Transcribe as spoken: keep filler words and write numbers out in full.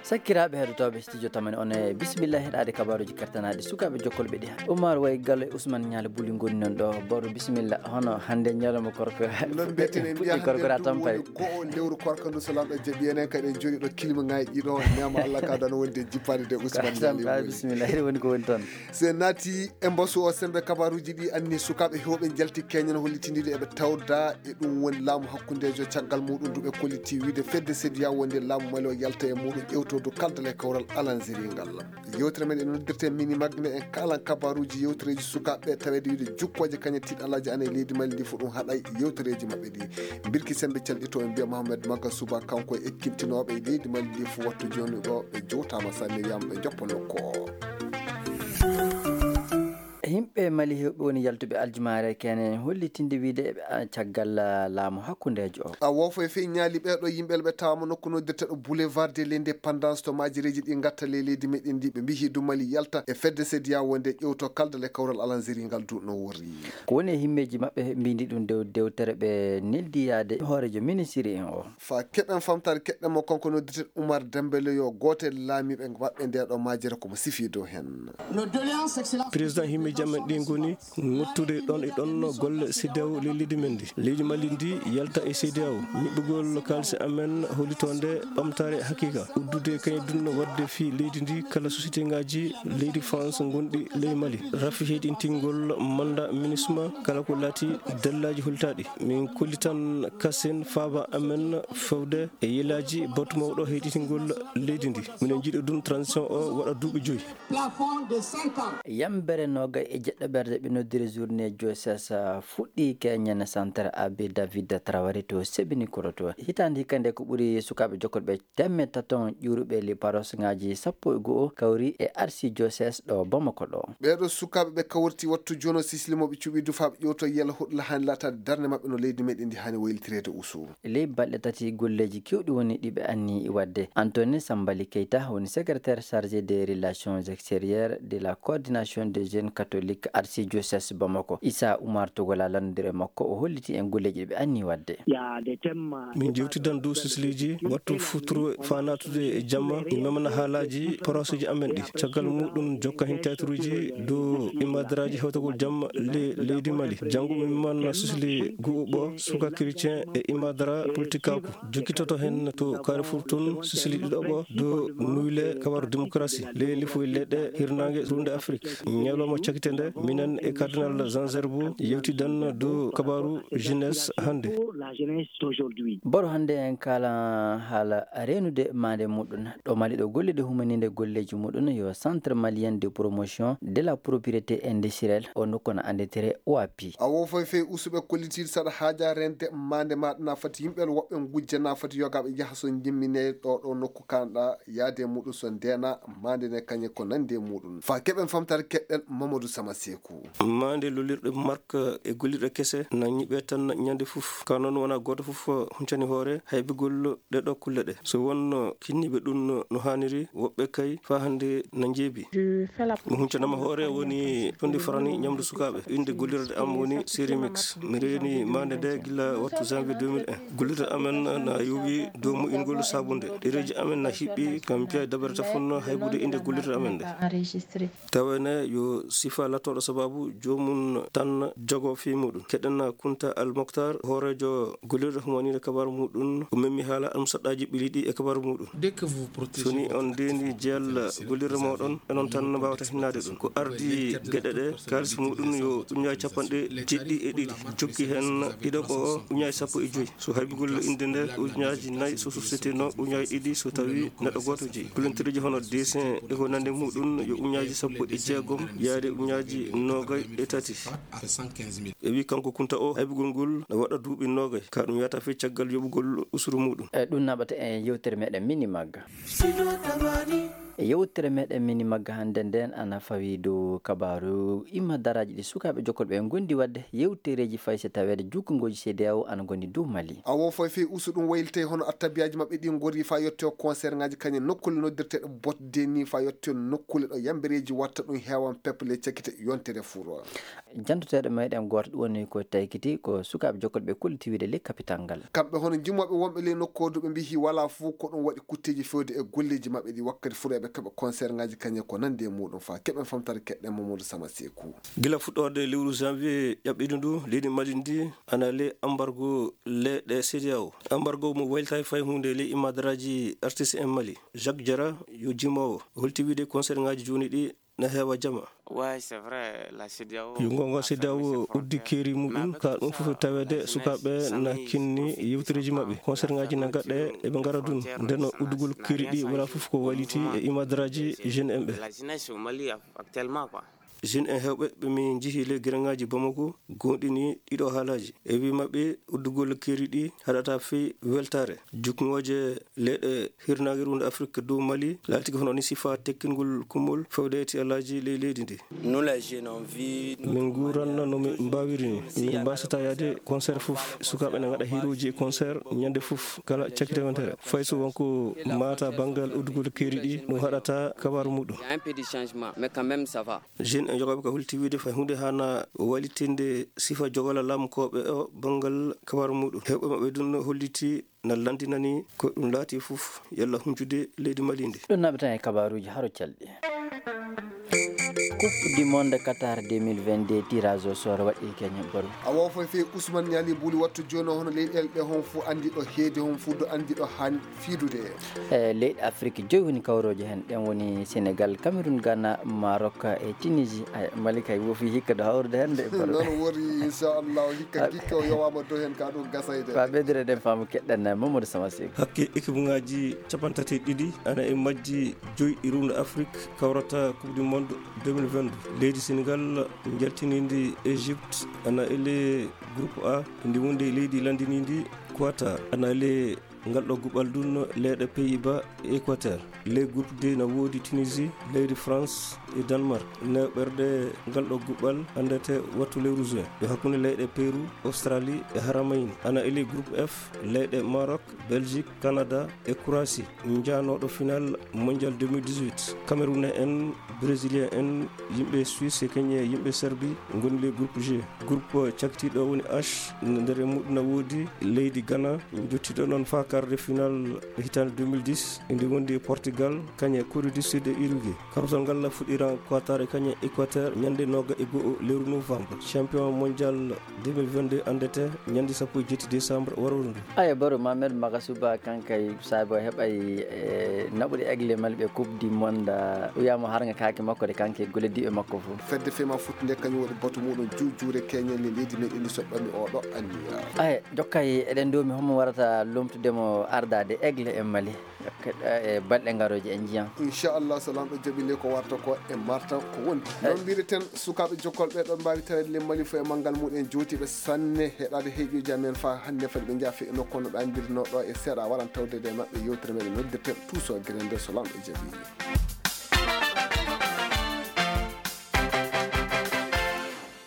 Sakkiraaɓe heɗotooɓe studio tamani on e bisimilla heɗaade kabaaruuji kartanaaɗi sukaaɓe jokkolɓe ɗi. Umar Way Gallo e Ousmane Ñaali Buli ngoni noon ɗo. Boro bisimilla, hono hannde ñalawma korka? Noon mbiyeten en mbiya puɗɗi korka hannde ɗum tampay. Woni go'o lewru korka ndu so Laamɗo jaɓi enen kadi en jooɗi ɗo kilima ŋaaji ɗo, neema Allah ka dano wonde jippaade de Ousmane Ñaali Buli. Bisimilla, heɗi woni ko woni toon. Se naati e mbasu o sembe kabaaruuji ɗi anni sukaaɓe heewɓe njalti keñen hollitindiiɗo eɓe tawda e ɗum woni laamu hakkundeejo caggal muɗum ndu ɓe kolliti wiide fedde sediya wonde laamu Mali o yalta e muɗum ƴewtodu kaldal e kawral alanziri ngal. Yewtere men e noddirte mini magme en kalan kabaaruuji yewtereeji sukaaɓe taweede wiide jukkooje kañe tiiɗalaaji ana e leydi Mali ndi fof ɗum haɗay yewtereeji maɓɓe ɗi. Birki sembe calɗito en mbiya Mohamed Maga Suba kanko e ekkintinooɓe e leydi Mali ndi fof wattu jooni ɗo ɓe jowtaama sanne yam ɓe joppa nokku o. Yimɓe Mali heewɓe woni yaltuɓe aljumaare kene hollitinde wiide eɓe a- caggal ah, laamu hakkundeejo o. A wofo e fii ñaali ɓeeɗo yimɓe ɓe tawama nokku noddirteɗo Boulevard de l'Indépendance to majireeji ɗi gatta ley leydi meɗen ndi ɓe mbihi du Mali yalta e fedde sediya wonde ƴewto kaldal e kawral alanziri ngal du no worri. Ko woni e himmeeji maɓɓe mbindi ɗum dew dewtere ɓe neldi yaade hooreejo ministiri en o. Fa keɓen famtaade keɓɗen mo kanko noddirteɗo Umar Dembele yo gootel laamiiɓe maɓɓe nde ɗo majere komo sifi dow hen. Président himmiiji amen ɗi ngoni ŋottude ɗon e ɗon golle C D A O ley leydi men ndi. Leydi Mali ndi yalta e C D A O. Ñiɓɓugol kaalisi amen hollitoonde ɓamtaare hakiika. Uddude kañum dunno waɗde fii leydi ndi kala société ŋaaji leydi France ngonɗi ley Mali. Rafi heyɗintingol manda MINUSMA kala ko laati dallaaji holtaaɗi. Min kollitan kasen faaba amen fewde e yelaaji batu mawɗo heyɗitingol leydi ndi. Minen njiɗo ɗum transition o waɗa duuɓi joyi. Yambere noga e jeɗɗo ɓerde ɓe noddiri journée Joseph fuɗɗi keñen centre Abbé David Traoré to Sebini Koroto. Hitaande hikka nde ko ɓuri sukaaɓe jokkoɓe temme taton ƴuuruɓe li paros ngaji sappo e go'o kawri e arsi Joseph ɗo Bamako ɗo. Ɓeeɗo sukaaɓe ɓe kawriti wattu jono sisli mo ɓe cuɓi dufaaɓe ƴewto yela huɗla hani laataade darnde maɓɓe no leydi meɗen ndi hani waylitireede usu. Ley balɗe tati golleeji kewɗi woni ɗi ɓe anni waɗde. Antoine Sambali Keita woni secrétaire chargé des relations extérieures de la coordination des jeunes catholiques archidiocèse Bamako. Issa Oumar Togola lanndondiri e makko o holliti en golleeji ɗi ɓe anni waɗde. Min jewtidan dow sisleeji wattu futuro faa naatude e jamma. Mi memana haalaaji poroseeji amen ɗi. Caggal muɗum jokka heen tayturuuji dow imadaraaji hewtagol jamma le leydi Mali. Janngo mi memana sisli gu'uɓo suka chrétien e imadara politikaaku. Jokkitoto heen to Carrefour tun sisli ɗiɗoɓo dow nuyle kabaru démocratie ley lifoy leɗɗe hirnaange runde Afrik. Ñalawma cakite nde minen e cardinal Jean Gerbo yewtidan dow kabaru jeunesse hannde. Boro hannde en kaala haala reenude maande muɗum. Ɗo Mali ɗo golle ɗe humaninde golleeji muɗum yo Centre Malien de Promotion de la Propriété Industrielle o nokku no annditire O A P. A wo foy fey usuɓe kollitiiɗo saɗa haaja rende maande maɗa na fati yimɓe woɓɓe ngujja na fati yogaaɓe yaha so jimmine ɗo ɗo nokku kanɗa yaade muɗum so ndena maande ne kañe ko nande muɗum. Fa keɓen famtare keɗɗen Mamadou Sama Seeku. Maande lolirɗe mark e gollirɗe kese na ñiɓe tan ñande fof. Ka noon wona gooto fof huncani hoore haybigol ɗe ɗo kulle ɗe. So wonno kinniiɓe ɗum no haaniri, woɓɓe kay faa hannde na njeebi. Mi huncanama hoore woni tondi farani ñamdu sukaaɓe. Innde gollirde am woni Sérimix. Mi reeni maande nde gila wattu janvier deux mille un. Gollirde amen na yowi dow moƴƴingol sabunde. Ɗereeji amen na hiɓɓi, kam piya dabere tafon haybude innde gollirde amen nde. Tawene yo sifa lattoɗo sababu joomum tan jogo fii muɗum. Keɗen Kunta Al Moktar, hooreejo gollirde humaniire kabaru muɗum, o memmi haala almusaɗɗaaji ɓiliiɗi e kabaru muɗum. So ni on ndeeni jeyal gollirde mooɗon, enon tan mbawata hinnaade ɗum. Ko ardi geɗe ɗe, kaalis muɗum yo ujunnaaji capanɗe jeɗɗi e ɗiɗi. Jokki heen ɗiɗoɓo o, ujunnaaji sappo e joyi. So haybigol innde nde, ujunnaaji nayi, so société no, ujunnaaji ɗiɗi, so tawi neɗɗo gooto jeyi. Kulantireeji hono dessin e ko nande muɗum yo ujunnaaji sappo e jeegom yaade ujunnaaji noogay e tati. E wi kanko Kunta o, haybigol ngol no waɗa duuɓi noogay, ka ɗum yahata fii caggal yoɓugol usuru muɗum. E ɗum naɓata e yewtere meɗen Mini Magga. E yewtere meɗen mini magga hannde nden ana fawi dow kabaaru imma daraaji ɗi sukaaɓe jokkolɓe e ngondi wadde yewtereeji fay si taweede jukkungooji C D A O ana ngondi dow Mali. Awo foy fey usu ɗum waylitay hono attabiyaaji maɓɓe ɗi ngori fa yotte o concert ngaji kañe nokkule noddirteɗe botde ni fa yotte nokkule ɗo yambereeji watta ɗum heewan peple cakkite yontere furo. Jantoteeɗo meɗen gooto ɗum woni ko taykiti ko sukaaɓe jokkolɓe kollitiwiide ley kapital ngal. Kamɓe hono jimooɓe wonɓe ley nokku o duɓe mbihi wala fof ko ɗum waɗi kutteeji fewde e golleeji maɓɓe ɗi wakkati fuɗoɓe keɓa concert ngaji kañe ko nandi e muɗum fa keɓen famtare keɗɗen Mamadou Sama Seku. Gila fuɗɗorde lewru janvier ƴaɓɓiɗo ndu leydi Mali ndi ana ley embargo leyɗe C D A O. Embargo mo waylitay fay hunde ley imadaraaji artiste en Mali. Jacques Diarra yo jimoowo holti wiide concert ngaji jooni ɗi na heewa jama. Yo ngonga C D A O uddi keeri muɗum ka ɗum fof taweede sukaaɓe na kinni yewtereeji maɓɓe concert ngaji na gaɗɗe eɓe ngara dun. Nden uddugol keeri ɗi wala fof ko wayliti e imadaraaji jeune en ɓe. Jeune en heewɓe ɓe min njihi ley gereŋaaji Bamako goonɗini ɗiɗo haalaaji. E wii maɓɓe uddugol keeri ɗi haɗata fey weltaare. Jukngooje leyɗe hirnaange ruunde Afrik dow Mali laatike hono ni sifa tekkingol kummol fewde e tiyalaaji ley leydi ndi. Min nguuranna no min mbaawiri ni. Min mbaasata yaade concert fof. Sukaaɓe na ngaɗa hiirooji e concert ñande fof kala cakkite wontere. Fay so wonko maata banngal uddugol keeri ɗi ɗum haɗata kabaaru muɗum. Jeune en jogaaɓe ka holti wiide fay huunde haana walitinde sifa jogala laamkooɓe o banngal kabaaru muɗum. Heewɓe maɓɓe dun holliti na landinani ko ɗum laati fof yalla huncude leydi Mali ndi. Ɗum naɓe tan e kabaaruuji haro calɗi. Coupe du monde Qatar deux mille vingt-deux tirage au sort waɗɗii keñe boro. A wo foy fey Ousmane Niali Buli wattu jooni o hono leyɗeele ɗe hon fof anndi ɗo heedi hon fof do anndi ɗo han fiidude. E leyɗe Afrik joyi woni kawrooje heen. Ɗen woni Sénégal, Cameroun, Ghana, Maroc e Tunisie. Ay, Mali kay wofi hikka do hawrude heen de boro. Noon wori, inchallah, hikka, hikka o yowaama do heen ka ɗum gasayde. Fa ɓeydere ɗen faamu keɗɗen Mamadou Sama Seck. Hakke équipe ngaji capanɗe tati e ɗiɗi ana e majji joyi ɗi ruunde Afrik kawrata Coupe du Monde deux mille vingt-deux. Leydi Sénégal njaltinindi Égypte ana ele groupe A, ndi wondi e leydi landinindi Qatar. Ana ele ngal ɗo guɓal dun leyɗe Pays-Bas e Équateur. Ley groupe D na woodi Tunisie, leydi France e Danemark. Newɓerɗe ngal ɗo guɓal anndete wattu lewru juin. Ɗo hakkunde leyɗe Pérou, Australie e Haramayni. Ana ele groupe F, leyɗe Maroc, Belgique, Canada e Croatie. Njanooɗo final mondial deux mille dix-huit. Camerounais en, Brésilien en, yimɓe Suisse e keñe yimɓe Serbie ngoni le groupe G. Groupe cakkitiiɗo woni H, nder e muɗum na woodi leydi Ghana, jottiiɗo noon faa quart de final hitaande deux mille dix, ndi wondi e Portugal, kañe Corée du Sud e Uruguay. Karosal ngal fuɗɗiran Qatar e kañe Équateur ñande nooga e go'o lewru novembre. Champion mondial deux mille vingt-deux anndete ñande sappo e jetti décembre waroru ndu. Ayo baro Mamed Magasuba kankay saabi o heɓay e naɓude aigle Mali ɓe Coupe du Monde, wiyaama harga kaake makko de kanke gollidiiɓe makko fof. Fedde fema futtude kañum waɗi batu muɗum juujuure keñen le leydi meɗen ndi soɓɓami oɗo anniya. Aye, jokkay eɗen doomi homo warata lomtude mo ardaade aigle e Mali. Jokkay, e balɗe ngarooje en njiyan. Inchallah, so Laamɗo jaɓi nde ko warta ko e martan ko woni. Noon mbireten sukaaɓe jokkolɓe ɗo mbaawi taweede le Mali fof e manngal muɗum en jootiiɓe sanne heɗaade heeƴuji amen faa hannde fadi ɓe njaafe e nokku no ɗo mbirnoo ɗo e seeɗa waran tawde e maɓɓe yewtere meɗen noddirten tuuso gere nde so Laamɗo jaɓi.